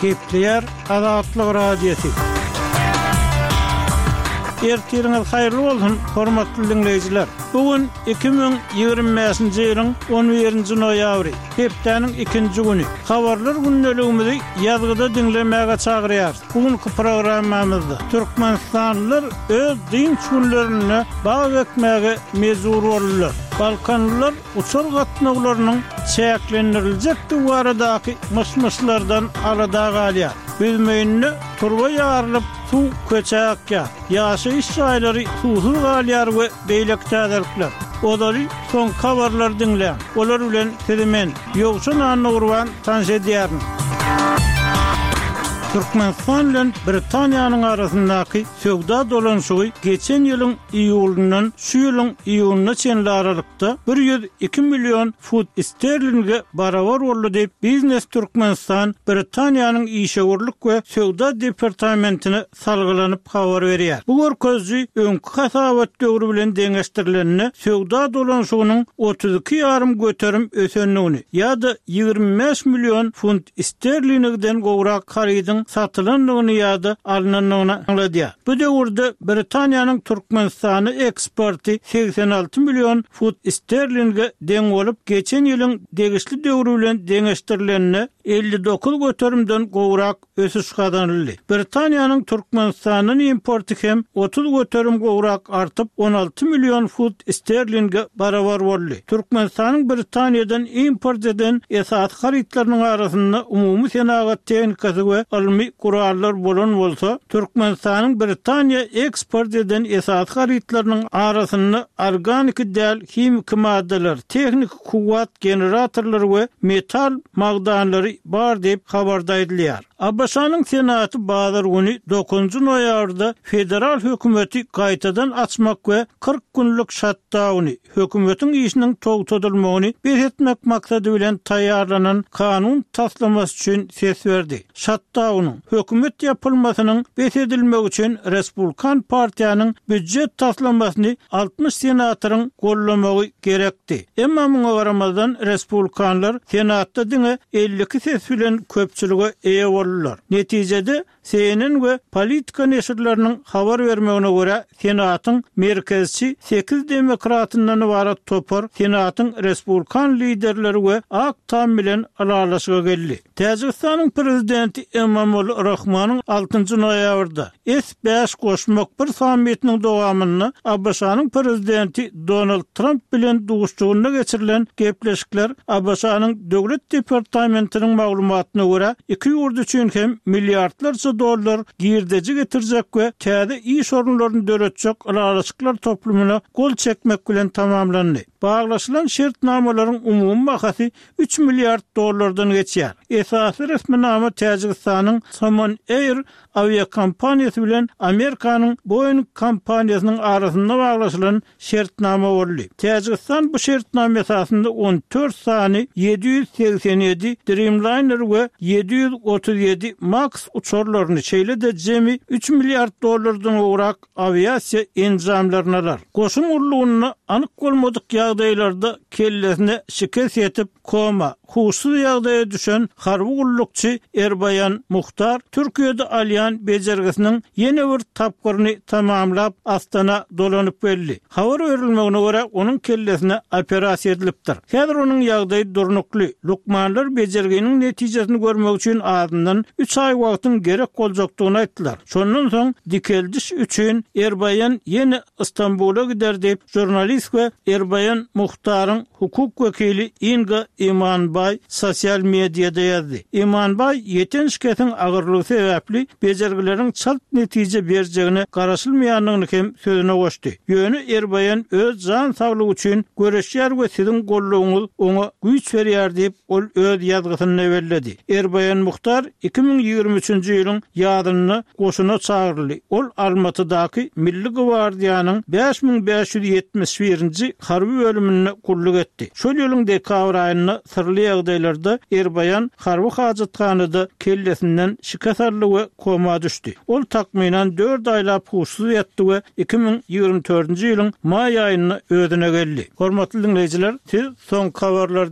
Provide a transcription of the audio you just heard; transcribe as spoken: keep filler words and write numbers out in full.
Gepleýär Azatlyk Radiosy. Ertiriňiz haýyrly bolsun, hormatly diňleýjiler. Bu gün iki müň ýigrimi bäşinji ýylyň on birinji noýabry, hepdäniň ikinji güni. Habarlar gündeligimizi ýazgyda diňlemäge çagyrýarys. Bu günki programmamyzda türkmenistanlylar öz dynç günlerinde bag ekmäge mejbur boldular. Balkanlylar uçar gatnawlarynyň çäklendiriljekdigi baradaky myş-myşlardan alada galýar. Büzmeýinde turba ýarylyp, suw köçä akýar. Ýaşaýyş jaýlary suwsuz galýar we beýleki täzelikler. Ozaly soňky habarlary diňläň. Olar bilen sizi men, Ýowşan Annagurban tanyş edýärin. Türkmenistan bilen Britaniýanyň arasyndaky söwda dolanyşygy geçen ýylyň iýulyndan şu ýylyň iýunyna çenli aralykda bir ýüz iki million funt sterlinge barabar boldy diýip, Biznes Türkmenistan Britaniýanyň işewürlik we söwda departamentine salgylanyp habar berýär. Bu görkeziji öňki hasabat döwri bilen deňeşdirilende söwda dolanyşygynyň otuz iki ýarym göterim ösendigini ýa-da ýigrimi bäş million funt sterlingden gowrak harydyň satylandygyny ýa-da alnandygyny aňladýar. Bu döwürde Britaniýanyň Türkmenistana eksporty segsen alty million funt sterlinge deň bolup, geçen ýylyň degişli döwri bilen deňeşdirilende elli dokuz göterimden gowrak ösüş gazanyldy. Britaniýanyň Türkmenistandan importy hem otuz göterim gowrak artyp, on alty million funt sterlinge barabar boldy. Türkmenistanyň Britaniýadan import eden esasy harytlarynyň arasynda umumy senagat tehnikasy we ylmy gurallar bolan bolsa, Türkmenistanyň Britaniýa eksport eden esasy harytlarynyň arasynda organiki däl himiki maddalar, tehniki kuwwat generatorlary we metal magdanlary bar diýip habarda aýdylýar. A B Ş-nyň Senaty bazar güni dokuzynjy noýabrda federal hökümeti gaýtadan açmak we kyrk günlük şatdauny, hökümetiň işiniň togtadylmagyny bes etmek maksady bilen taýýarlanan kanun taslamasy üçin ses berdi. Şatdaunyň hökümet ýapylmasynyň bes edilmegi üçin Respublikan partiýanyň býujet taslamasyny altmyş senatoryň gollamagy gerekdi. Emma muňa garamazdan Respublikanlar Senatda diňe elli iki ses bilen köpçülige eýe boldular. Netijede C N N we Politika neşirleriniň habar bermegine görä Senatyň merkezçi sekiz demokratyndan ibarat topar Senatyň Respublikan liderleri we Ak Tam bilen ylalaşyga geldi. Täjigistanyň prezidenti Emomali Rahmanyň altynjy noýabrda S bäş goşmak bir sammitiniň dowamynda A B Ş-nyň prezidenti Donald Trump bilen duşuşygynda geçirilen gepleşikler A B Ş-nyň Döwlet departamentiniň maglumatyna görä iki ýurt üçin hem milliardlarça dollar girdeji getirjek we täze iş orunlaryny döretjek ylalaşyklar toplumyna gol çekmek bilen tamamlandy. Baglaşylan şertnamalaryň umumy bahasy üç milliard dollardan geçýär. Esasy resminama Täjigistanyň Somon Air awiakompaniýasy bilen Amerikanyň Boeing kompaniýasynyň arasynda baglaşylan şertnama boldy. Täjigistan bu şertnama esasynda on dört sany ýedi ýüz segsen ýedi Dreamliner we ýedi ýüz otuz ýedi Max uçarlaryny, şeýle-de jemi üç milliard dollardan gowrak awiasiýa enjamlaryny alar. Goşun gullugynda anyk bolmadyk ýagdaýlarda kellesine şikes ýetip, koma, huşsuz ýagdaýa düşen harby gullukçy Erbaýan Muhtar Türkiýede alýan bejergisiniň ýene bir tapgyryny tamamlap Astana dolanyp geldi. Habar berilmegine görä onuň kellesine operasiýa edilipdir. Häzir onuň ýagdaýy durnukly. Lukmanlar bejerginiň netijesini görmek üçin azyndan üç aý wagtyň gerek boljakdygyny aýtdylar. Şondan soň dikeldiş üçin Erbaýan ýene Istanbula gider diýip jurnalist we Erbaýan Muhtaryň hukuk wekili Inga Imanbaý sosial mediada ýazdy. Imanbaý ýeten şikesiň agyrlygy sebäpli bejergileriň çalt netije berjegine garaşylmaýandygyny hem sözüne goşdy. Ýöne Erbaýan öz jan saglygy üçin göreşýär we siziň gollugyňyz oňa güýç berýär diýip ol öz ýazgysynda belledi. Erbaýan Muhtar iki müň ýigrimi üçünji ýylyň ýazynda goşuna çagyryldy. Ol Almatydaky Milli gwardiýanyň bäş müň bäş ýüz ýetmiş birinji harby bölüminde gulluk etdi. Şol ýylyň dekabr aýynda syrly ýagdaýlarda Erbaýan harby hajathanada kellesinden şikes aldy we koma düşdi. Ol takmynan dört aýlap huşsuz ýatdy we iki müň ýigrimi dördünji ýylyň maý aýynda özüne geldi. Hormatly dinleýjiler, siz soňky habarlar